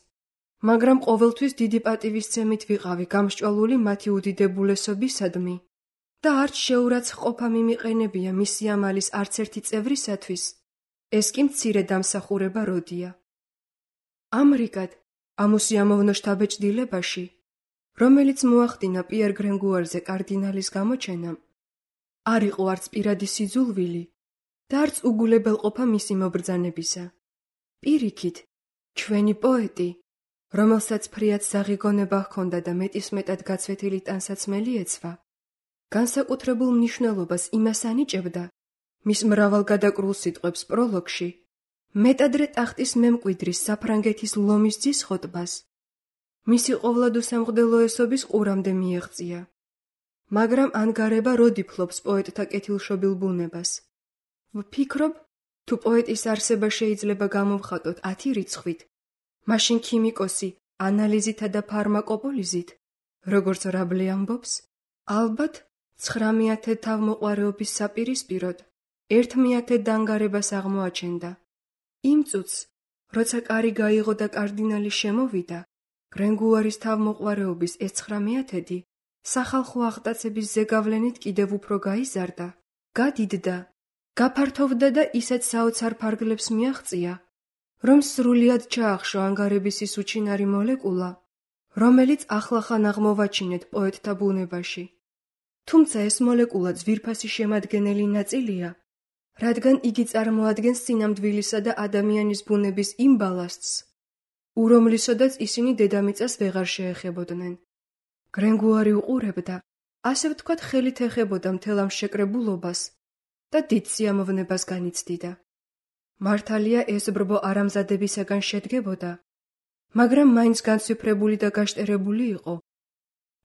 მაგრამ ყოველთვის დიდი პატივისცემით ვიყავი გამსჭვალული მათი უდიდებულესობისადმი, და არც შეურაცხყოფა მიმიყენებია მისი ამალის არც ერთი წევრისათვის, ეს კი მცირე დამსახურება როდია. ამრიგად, ამ უსიამოვნო შთაბეჭდილებაში, რომელიც მოახდინა პიერ გრენგუარზე კარდინალის გამოჩენამ, არ იყო არც პირადი სიძულვილი და არც უგულებელყოფა მისი მობრძანებისა. პირიქით, ჩვენი პოეტი, რომელსაც ფრიად საღიგონება ჰქონდა და მეტისმეტად გაცვეთილი ტანსაცმელი ეცვა, განსაკუთრებულ მნიშვნელობას იმას ანიჭებდა მის მრავალგადაკრულ სიტყვებს პროლოგში, მეტადრე ტახტის მემკვიდრის საფრანგეთის ლომის ძის ხოტბას, მისი ყოვლადუსამღდელოესობის ყურამდე მიეღწია. მაგრამ ანგარება როდი ფლობს პოეტთა კეთილშობილ ბუნებას. ვფიქრობ, თუ პოეტის არსება შეიძლება გამოვხატოთ 10 რიცხვით, მაშინ ქიმიკოსი ანალიზითა და ფარმაკოპოლიზით, როგორც რაბლე ამბობს, ალბათ 900 თავმოყვარეობის საპირისპიროდ 1/10 დანგარებას აღმოაჩენდა. იმ წუთს, როცა კარი გაიღო და კარდინალი შემოვიდა, გრენგუარის თავმოყვარეობის ეს 900 სახალხო აღტაცების ზეგავლენით კიდევ უფრო გაიზარდა, გადიდდა, გაფართოვდა და ისეთ საოცარ ფარგლებს მიაღწია, რომ სრულიად ჩაახშო ანგარების ის უჩინარი მოლეკულა, რომელიც ახლახან აღმოვაჩინეთ პოეტთა ბუნებაში. თუმცა ეს მოლეკულა ძვირფასი შემადგენელი ნაწილია, რადგან იგი წარმოადგენს სინამდვილისა და ადამიანის ბუნების იმ ბალასტს, ურომლისოდაც ისინი დედამიწას ვეღარ შეეხებოდნენ. გრენგუარი უყურებდა, ასე ვთქვათ, ხელით ეხებოდა მთელ ამ შეკრებულობას და დიდ სიამოვნებას განიცდიდა. მართალია ეს ბრბო არამზადებისაგან შედგებოდა, მაგრამ მაინც განცვიფრებული და გაშტერებული იყო.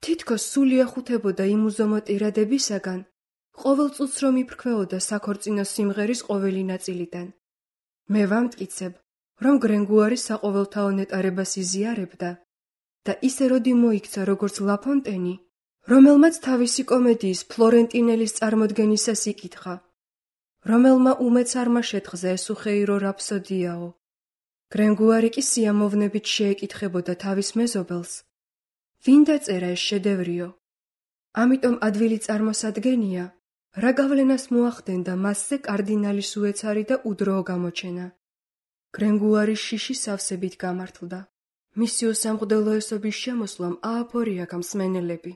თითქოს სული ეხუთებოდა იმ უზომო ტირადებისაგან, ყოველ წუთს რომ იფრქვეოდა საქორწინო სიმღერის ყოველი ნაწილიდან. მე ვამტკიცებ, რომ გრენგუარი საყოველთაო ნეტარებას იზიარებდა და ისე როდი მოიქცა როგორც ლაფონტენი, რომელმაც თავისი კომედიის ფლორენტინელის წარმოდგენისას იკითხა, რომელმა უმეც არმა შეთხზა ეს უხეირო რაფსოდიაო. გრენგუარი კი სიამოვნებით შეეკითხებოდა თავის მეზობელს, ვინ დაწერა ეს შედევრიო? ამიტომ ადვილი წარმოსადგენია, რა გავლენას მოახდენდა მასზე კარდინალის უეცარი და უდროო გამოჩენა. გრენგუარის შიში სავსებით გამართლდა. მისი უსამღდელოესობის შემოსვლამ ააფორია გამსმენელები.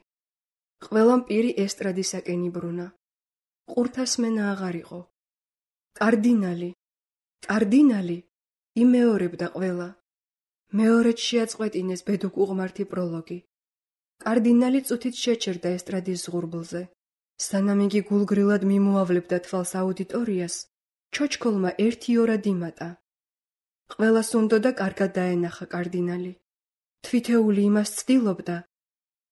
ყველამ პირი ესტრადისაკენ იბრუნა. ყურთასმენა აღარ იყო. კარდინალი, კარდინალი, იმეორებდა ყველა. მეორედ შეაწყვეტინეს ბედუկ უღმართი პროლოგი. კარდინალი წუთით შეჩერდა ესტრადის ზღურბლზე. სანამ იგი გულგრილად მიმოავლებდა თვალს აუდიტორიას, ჩოჩქოლმა 1 ორად იმატა. ყველას უნდოდა კარგად დაენახა კარდინალი. თვითეული იმას ცდილობდა,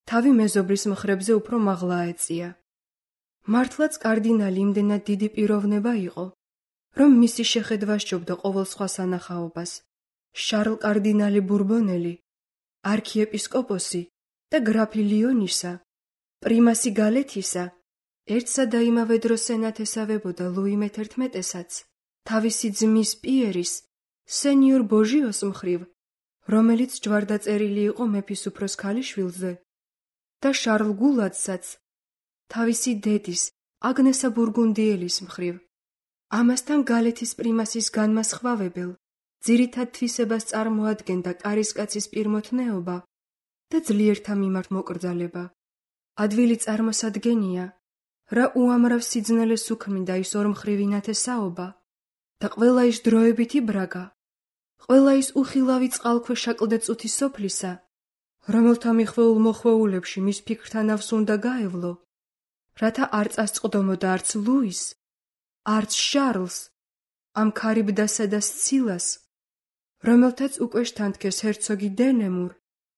თავი მეზობრის მხრებზე უფრო მაღლა აეწია. მართლაც კარდინალი იმდენად დიდი პიროვნება იყო, რომ მისი შეხედვა სჯობდა ყოველ სხვა სანახაობას. შარლ კარდინალი ბურბონელი, არქიეპისკოპოსი და გრაფი ლიონისა, პრიმასი გალეთისა, ერთსა და იმავე დროს სენათესავებოდა ლუი მე-11-ესაც, თავისი ძმის პიერის, სენიორ ბოჟიოს მხრივ, რომელიც ჯვარდაწერილი იყო მეფის უფროს ქალიშვილზე, და შარლ გულადსაც, თავისი დედის, აგნესა ბურგუნდიელის მხრივ. ამასთან გალეთის პრიმასის განმასხვავებელ, ძირითად თვისებას წარმოადგენდა კარისკაცის პირმოთნეობა და ძლიერთა მიმართ მოკრძალება. ადვილი წარმოსადგენია, რა უამრავ სიძნელეს უქმნიდა ის ორმხრივი ნათესაობა და ყველა ის დროებითი ბრაგა, ყველა ის უხილავი წყალქვეშა კლდეწუთი სოფლისა, რომელთა მიხვეულ მოხვეულებში მის ფიქრთანავს უნდა გაევლო, რათა არ წასწყდომოდა არც ლუის, არც შარლს, ამ ქარიბდასა და სცილას, რომელთაც უკვე შთანთქეს ჰერცოგი დენემურ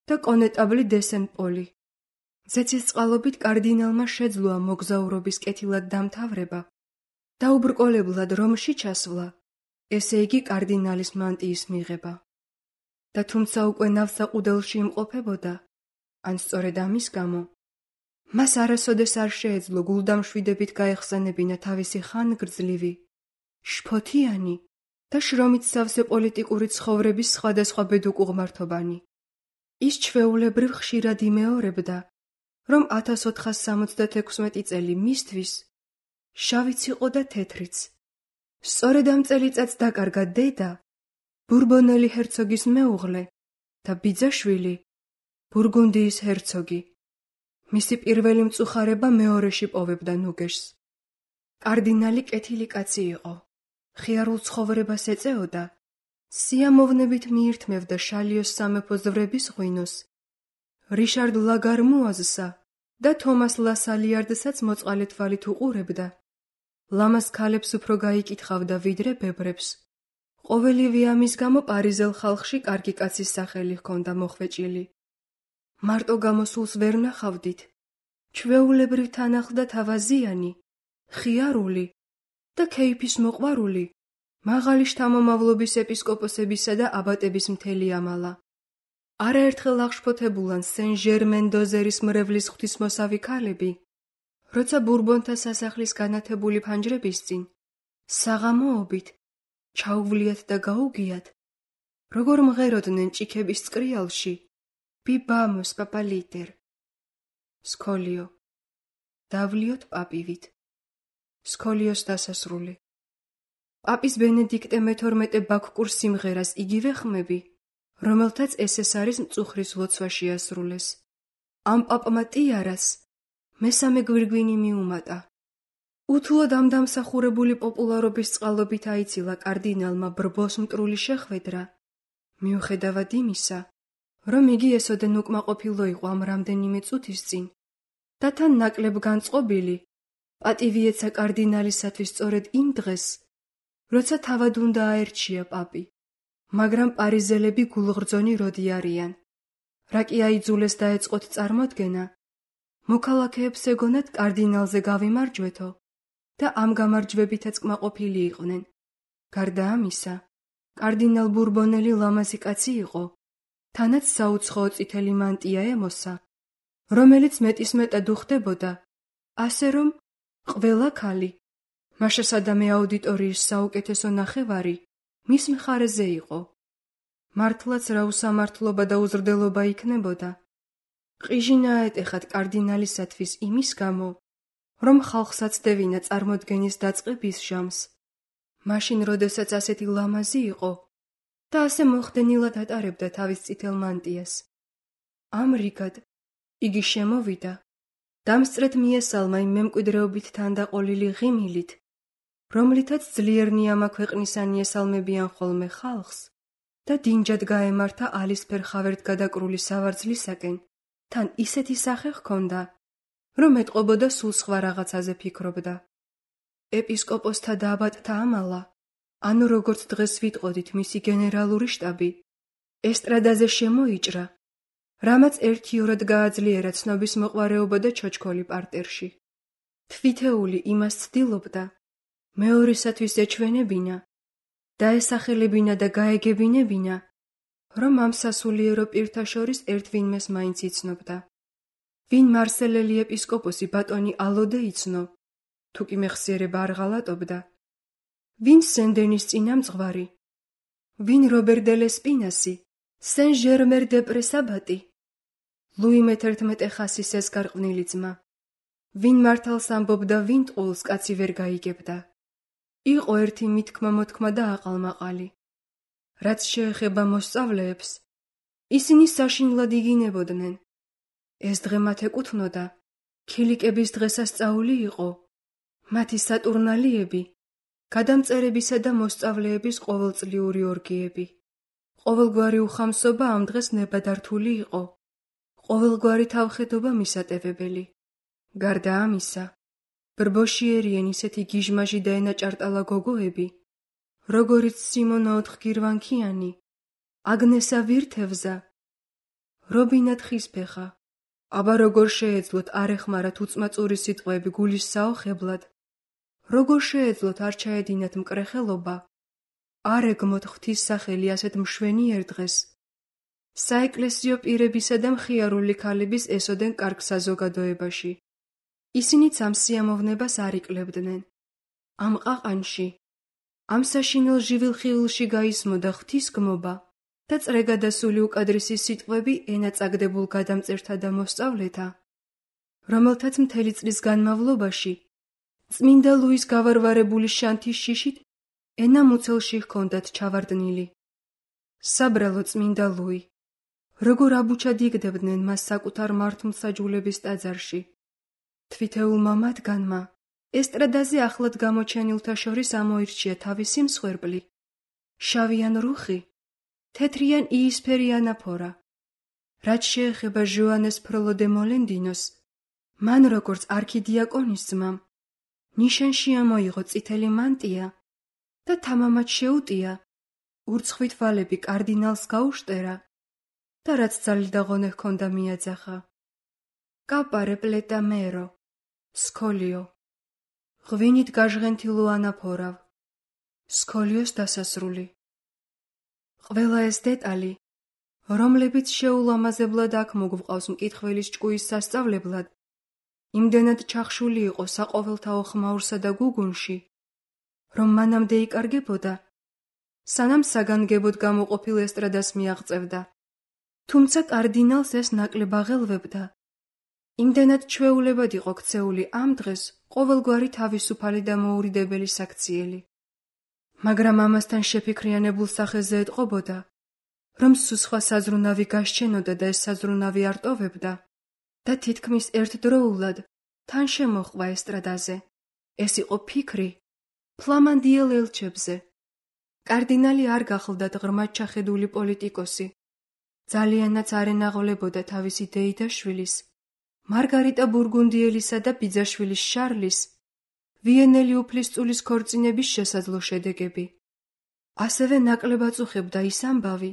და კონეტაბლი დესენ-პოლი. ზეცის წყალობით კარდინალმა შეძლო ამ მოგზაურობის კეთილად დამთავრება და უბრკოლებლად რომში ჩასვლა, ესე იგი კარდინალის მანტიის მიღება. და თუმცა უკვე ნავსაყუდელში იმყოფებოდა, ან სწორედ ამის გამო, მას არასოდეს არ შეეძლო გულდამშვიდებით გაეხსენებინა თავისი ხანგრძლივი, შფოთიანი და შრომით სავსე პოლიტიკური ცხოვრების სხვადასხვა ბედუკ უღმართობანი. ის ჩვეულებრივ ხშირად იმეორებდა, რომ 1466 წელი მისთვის შავიც იყო და თეთრიც. სწორედ ამ წელიწადს დაკარგა დედა, ბურბონელი ჰერცოგის მეუღლე და ბიძაშვილი, ბურგუნდიის ჰერცოგი. მისი პირველი მწუხარება მეორეში პოვებდა ნუგეშს. კარდინალი კეთილი კაცი იყო, ხიარულ ცხოვრებას ეწეოდა, სიამოვნებით მიირთმევდა შალიოს სამეფო ზვრების ღვინოს, რიშარდ ლაგარმუაზსა და თომას ლასალიარდსაც მოწყალე თვალით უყურებდა. ლამაზ ქალებს უფრო გაიკითხავდა ვიდრე ბებრებს. ყოველივე ამის გამო პარიზელ ხალხში კარგი კაცის სახელი ჰქონდა მოხვეჭილი. მარტო გამოსულს ვერ ნახავდით. ჩვეულებრივ თან ახლდა თავაზიანი, ხიარული და ქეიფის მოყვარული, მაღალი შთამომავლობის ეპისკოპოსებისა და აბატების მთელი ამალა. არაერთხელ აღშფოთებულან სენ ჟერმენ დოზერის მრევლის ღვთისმოსავი ქალები, როცა ბურბონთა სასახლის განათებული ფანჯრების წინ, საღამოობით, ჩაუვლიათ და გაუგიათ, როგორ მღეროდნენ ჭიქების წკრიალში, ბიბამოს პაპალიტერ. სკოლიო. დავლიოთ პაპივით. სკოლიოს დასასრული. პაპის ბენედიქტე მე-12 ბაქკურ სიმღერას იგივე ხმები, რომელთაც ეს არის მწუხრის ლოცვა შეასრულეს. ამ პაპმა ტიარას მესამე გვირგვინი მიუმატა. უთუოდ ამ დამსახურებული პოპულარობის წყალობით აიცილა კარდინალმა ბრბოს მტრული შეხვედრა, მიუხედავად იმისა, რომ იგი ესოდენ უკმაყოფილო იყო ამ რამდენიმე წუთის წინ და თან ნაკლებ განწყობილი, პატივი ეცა კარდინალისათვის სწორედ იმ დღეს, როცა თავად უნდა აერჩია პაპი, მაგრამ პარიზელები გულღრძონი როდი არიან. რა კი აიძულეს დაეწყოთ წარმოდგენა, მოქალაქეებს ეგონათ კარდინალზე გავიმარჯვეთო და ამ გამარჯვებითაც კმაყოფილი იყვნენ. გარდა ამისა, კარდინალ ბურბონელი ლამაზი კაცი იყო, თანაც საუცხოო წითელი მანტია ემოსა, რომელიც მეტისმეტად უხდებოდა, ასე რომ ყველა ქალი, მაშასადამე აუდიტორიის საუკეთესო ნახევარი, მის მხარეზე იყო. მართლაც რა უსამართლობა და უზრდელობა იქნებოდა. ყიჟინა ეტეხათ კარდინალისათვის იმის გამო, რომ ხალხს აცდებინა წარმოდგენის დაწყების ჟამს, მაშინ როდესაც ასეთი ლამაზი იყო და ასე მოხდენილად ატარებდა თავის წითელ მანტიას. ამრიგად, იგი შემოვიდა, დამსწრეთ მიესალმა იმ მემკვიდრეობით თანდაყოლილი ღიმილით, რომლითაც ძლიერნი ამა ქვეყნისანი ესალმებიან ხოლმე ხალხს და დინჯად გაემართა ალისფერ ხავერთ გადაკრული სავარძლისაკენ, თან ისეთი სახე ჰქონდა, რომ ეტყობოდა სულ სხვა რაღაცაზე ფიქრობდა. ეპისკოპოსთა და აბატთა ამალა, ანუ როგორც დღეს ვიტყოდით მისი გენერალური შტაბი, ესტრადაზე შემოიჭრა, რამაც ერთიორად გააძლიერა ცნობის მოყვარეობა და ჩოჩქოლი პარტერში. თვითეული იმას ცდილობდა, მეორისათვის ეჩვენებინა, დაესახელებინა და გაეგებინებინა, რომ ამ სასულიერო პირთა შორის ერთ ვინმეს მაინც იცნობდა. ვინ მარსელელი ეპისკოპოსი ბატონი ალოდე იცნო, თუ კი მეხსიერება არ ღალატობდა, ვინ სენ-დენის წინამძღვარი, ვინ რობერ დე ლესპინასი, სენ ჟერმერ დე პრესაბატი, ლუი მე-11 ხასის ეს გარყვნილი ძმა, ვინ მართალს ამბობდა, ვინ ტყუილს კაცი ვერ გაიგებდა. იყო ერთი მითქმა-მოთქმა და აყალმაყალი. რაც შეეხება მოსწავლეებს, ისინი საშინლად იგინებოდნენ. ეს დღე მათ ეკუთვნოდა, ქილიკების დღესასწაული იყო, მათი სატურნალიები, გადამწერებისა და მოსწავლეების ყოველწლიური ორგიები. ყოველგვარი უხამსობა ამ დღეს ნებადართული იყო, ყოველგვარი თავხედობა მისატევებელი. გარდა ამისა, ბრბოში ერიენ ისეთი გიჟმაჟი და ენაჭარტალა გოგოები, როგორიც სიმონა ოთხგირვანქიანი, აგნესა ვირთევზა, რობინა თხისფეხა, აბა როგორ შეეძლოთ არ ეხმარათ უწმაწური სიტყვები გულის საოხებლად, როგორ შეეძლოთ არ ჩაედინათ მკრეხელობა, არ ეგმოთ ღვთის სახელი ასეთ მშვენიერ დღეს. საეკლესიო პირებისა და მხიარული ქალების ესოდენ კარგ საზოგადოებაში. ისინიც ამ სიამოვნებას არ ikლებდნენ. ამ ყაყანში, ამ საშინელ ჟივილხილში გაისმოდა ღვთისგმობა და წრეგადასული უკადრისი სიტყვები ენაწაგდებულ გადამწერთა და მოსწავლეთა, რომელთაც მთელი წლის განმავლობაში წმინდა ლუის გავარვარებული შანთის შიშით ენა მუცელში ჰქონდათ ჩავარდნილი. საბრალო წმინდა ლუი, როგორ აბუჩად იგდებდნენ მას საკუთარ მართლმსაჯულების ტაძარში. თვითეულმა მათგანმა ესტრადაზე ახლად გამოჩენილთა შორის ამოირჩია თავისი მსხვერპლი, შავი ან რუხი, თეთრი ან იისფერი ანაფორა. რაც შეეხება ჟოანეს ფროლო დე მოლენდინოს, მან როგორც არქიდიაკონის ძმამ, ნიშანში ამოიღო წითელი მანტია და თამამად შეუტია, ურცხვით ვალები კარდინალს გაუშტერა და რაც ძალიდაღონე ჰქონდა მიაძახა. კაპარე პლეტა მერო, სქოლიო, ღვინით გაჟღენთილო ანაფორავ, სქოლიოს დასასრული. ყველა ეს დეტალი, რომლებიც შეულამაზებლად აქ მოგვყავს მკითხველის ჭკუის სასწავლებლად, იმდენად ჩახშული იყო საყოველთაო ხმაურსა და გუგუნში, რომ მანამდე იკარგებოდა, სანამ საგანგებოდ გამოყოფილ ესტრადას მიაღწევდა. თუმცა კარდინალს ეს ნაკლებ აღელვებდა. იმდენად ჩვეულებად იყო ქცეული ამ დღეს ყოველგვარი თავისუფალი და მოურიდებელი საქციელი. მაგრამ ამასთან შეფიქრიანებულ სახეზე ეტყობოდა, რომ სხვა საზრუნავი გასჩენოდა და ეს საზრუნავი არ ტოვებდა და თითქმის ერთდროულად თან შემოჰყვა ესტრადაზე. ეს იყო ფიქრი ფლამანდიელ ელჩებზე. კარდინალი არ გახლდათ ღრმად ჩახედული პოლიტიკოსი. ძალიანაც არ ენაღლებოდა თავისი დეიდაშვილის, მარგარიტა ბურგუნდიელისა და ბიძაშვილის შარლის, ვიენელი უფლისწულის ქორწინების შესაძლო შედეგები. ასევე ნაკლებ აწუხებდა ის ამბავი,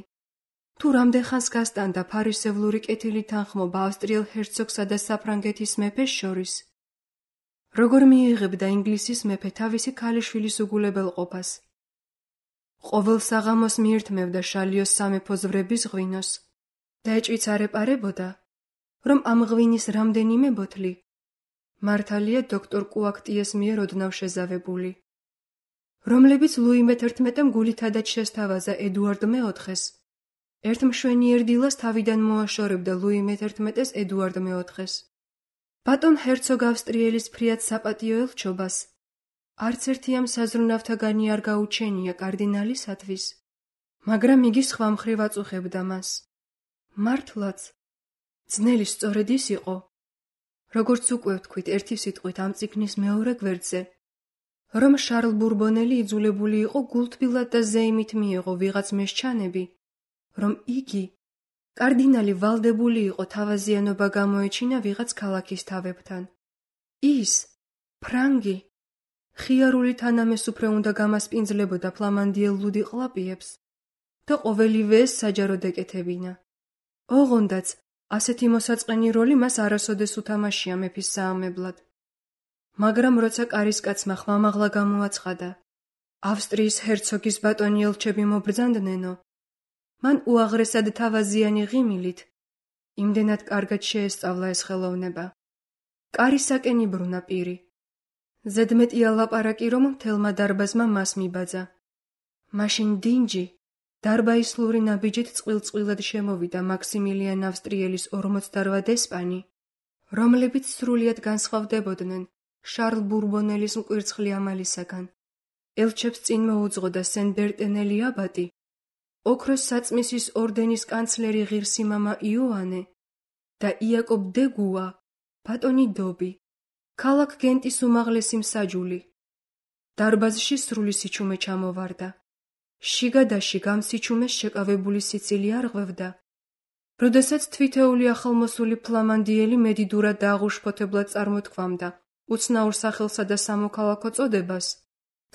თუ რამდენხანს გასტანდა ფარისევლური კეთილი თანხმობა ავსტრიელ ჰერცოგსა და საფრანგეთის მეფეს შორის, როგორ მიიღებდა ინგლისის მეფე თავისი ქალიშვილის უგულებელყოფას. ყოველ საღამოს მიირთმევდა შალიოს სამეფო ზვრების ღვინოს და ეჭვიც არ ეპარებოდა, რომ ამ ღვინის რამდენიმე ბოთლი მართალია დოქტორ კუაქტიეს მიერ ოდნავ შეზავებული, რომლებიც ლუი მე-11-მ გულითადაც შესთავაზა ედუარდ მე-4-ს. ერთ მშვენიერ დილას თავიდან მოაშორებდა ლუი მე-11-ს ედუარდ მე-4-ს. ბატონ ჰერცოგ ავსტრიელის ფრიად საპატიო ელჩობას არც ერთი ამ საზრუნავთაგანი არ გაუჩენია კარდინალისათვის, მაგრამ იგი სხვა მხრივ აწუხებდა მას. მართლაც, ძნელი სწორედ ის იყო, როგორც უკვე ვთქვით ერთი სიტყვით ამ წიგნის მეორე გვერდზე, რომ შარლ ბურბონელი იძულებული იყო გულთბილად და ზეიმით მიეღო ვიღაც მესჩანები, რომ იგი, კარდინალი, ვალდებული იყო თავაზიანობა გამოეჩინა ვიღაც ქალაქის თავებთან. ის, ფრანგი, ხიარული თანამეს უფრო უნდა გამასპინძლებოდა ფლამანდიელ ლუდიყლაპიებს და ყოველივე ეს საჯაროდ ეკეთებინა. ოღონდაც ასეთი მოსაწყენი როლი მას არასოდეს უთამაშია მეფის საამებლად. მაგრამ როცა კარისკაცმა ხმამაღლა გამოაცხადა, ავსტრიის ჰერცოგის ბატონი ელჩები მობრძანდნენო, მან უაღრესად თავაზიანი ღიმილით იმდენად კარგად შეესწავლა ეს ხელოვნება. კარისაკენ იბრუნა პირი. ზედმეტი ალაპარაკი, რომ მთელმა დარბაზმა მას მიბაძა. მაშინ დინჯი, დარბაისლური ნაბიჯით წყვილ-წყვილად შემოვიდა მაქსიმილიან ავსტრიელის 48 დესპანი, რომლებიც სრულიად განსხვავდებოდნენ შარლ ბურბონელის მკვირცხლი ამალისაგან. ელჩებს წინ მოუძღოდა სენ-ბერტენელი აბატი, ოქროს საწმისის ორდენის კანცლერი ღირსი მამა იოანე და იაკობ დე გუა, ბატონი დობი, ქალაქ გენტის უმაღლესი მსაჯული. დარბაზში სრული სიჩუმე ჩამოვარდა. შიგა და შიგ ამ სიჩუმეს შეკავებული სიცილი არღვევდა. როდესაც თვითეული ახალმოსული ფლამანდიელი მედიდურად და აღუშფოთებლად წარმოთქვამდა უცნაურ სახელსა და სამოქალაქო წოდებას,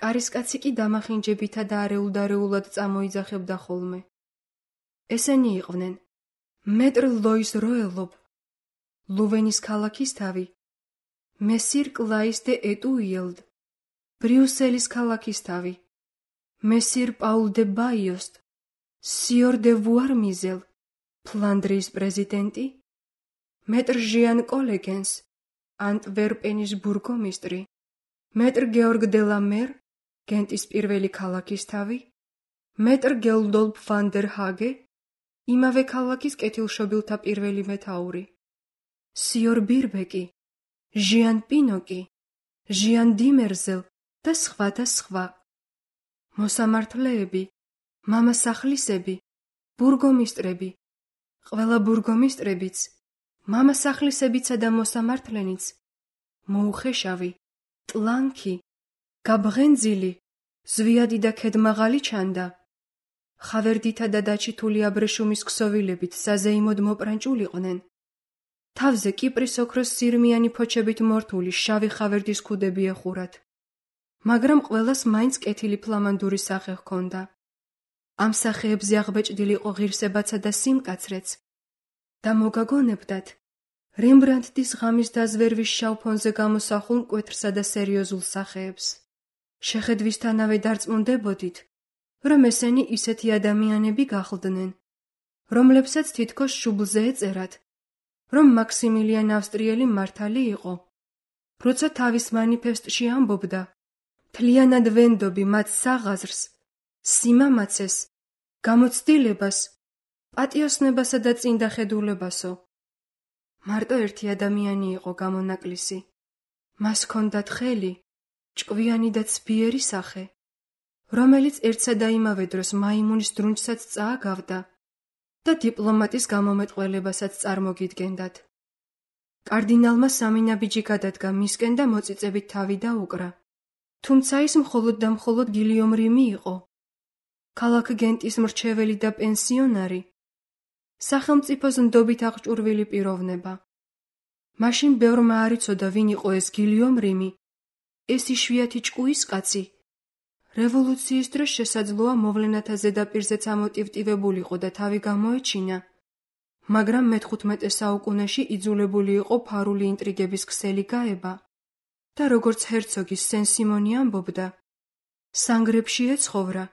კარისკაცი კი დამახინჯებითა და არეულ-დარეულად წამოიძახებდა ხოლმე. ესენი იყვნენ მეტრ ლოის როელობ, ლუვენის ქალაქისთავი, მესირ კლაის დე ეტუიელდ, ბრიუსელის ქალაქისთავი, მესირ პაულ დე ბაიოსტ, სიორ დე ვუარმიზელ, ფლანდრიის პრეზიდენტი, მეტრ ჟიან კოლეგენს, ანტვერპენის ბურგომისტრი, მეტრ გეორგ დე ლა მერ, გენტის პირველი ქალაქისთავი, მეტრ გელდოლფ ვან დერ ჰაგე, იმავე ქალაქის კეთილშობილთა პირველი მეთაური, სიორ ბირბეკი, ჟიან პინოკი, ჟიან დიმერზელ და სხვა და სხვა. მოსამართლეები, მამასახლისები, ბურგომისტრები, ყველა ბურგომისტრებიც, მამასახლისებიცა და მოსამართლენიც, მოუხეშავი, ტლანქი, გაბრენძილი, ზვიადი და ქედმაღალი ჩანდა. ხავერდითა და დაჩითული აბრეშუმის ქსოვილებით საზეიმოდ მოპრანჭულიყვნენ. თავზე კიპრის ოქროს სირმიანი ფოჩებით მორთული შავი ხავერდის ქუდები ეხურათ. მაგრამ ყველას მაინც კეთილი ფლამანდური სახე ჰქონდა. ამ სახეებზე აღბეჭდილი იყო ღირსებაცა და სიმკაცრეც და მოგაგონებდათ რემბრანდტის ღამის დაზვერვის შავ ფონზე გამოსახულ მკვეთრსა და სერიოზულ სახეებს. შეხედვისთანავე დარწმუნდებოდით, რომ ესენი ისეთი ადამიანები გახლდნენ, რომლებსაც თითქოს შუბლზე ეწერათ, რომ მაქსიმილიან ავსტრიელი მართალი იყო. როცა თავის მანიფესტში ამბობდა, მთლიანად ვენდობი მათ საღაზრს, სიმამაცეს, გამოცდილებას, პატიოსნებასა და წინდახედულებასო. მარტო ერთი ადამიანი იყო გამონაკლისი. მას ჰქონდათ ხელი, ჭკვიანი და ცბიერი სახე, რომელიც ერთსა და იმავე დროს მაიმუნის დრუნჩსაც წააგავდა და დიპლომატის გამომეტყველებასაც წარმოგიდგენდათ. კარდინალმა სამი ნაბიჯი გადადგა მისკენ და მოწიწებით თავი დაუკრა. თუმცა ის მხოლოდ და მხოლოდ გილიომ რიმი იყო, ქალაქ გენტის მრჩეველი და პენსიონარი, სახელმწიფოს ნდობით აღჭურვილი პიროვნება. მაშინ ბევრმა არ იცოდა ვინ იყო ეს გილიომ რიმი, ეს იშვიათი ჭკუისკაცი. რევოლუციის დროს შესაძლოა მოვლენათა ზედაპირზეც ამოტივტივებულიყო და თავი გამოეჩინა, მაგრამ მე-15 საუკუნეში იძულებული იყო ფარული ინტრიგების ქსელი გაება და როგორც ჰერცოგის სენ-სიმონი ამბობდა, სანგრებში ეცხოვრა.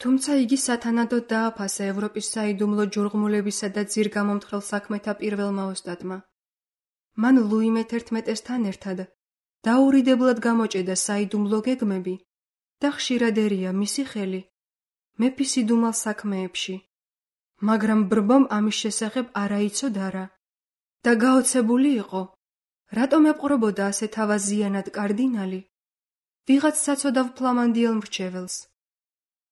თუმცა იგი სათანადოდ დააფასა ევროპის საიდუმლო ჯურღმულებისა და ძირგამომთხრელ საქმეთა პირველმა ოსტატმა. მან ლუი მე-11-თან ერთად დაურიდებლად გამოჭედა საიდუმლო გეგმები და ხშირად ერია მისი ხელი მეფის იდუმალ საქმეებში, მაგრამ ბრბომ ამის შესახებ არა იცოდა რა და გაოცებული იყო, რატომ ეპყრობოდა ასე თავაზიანად კარდინალი ვიღაც საცოდავ ფლამანდიელ მრჩეველს.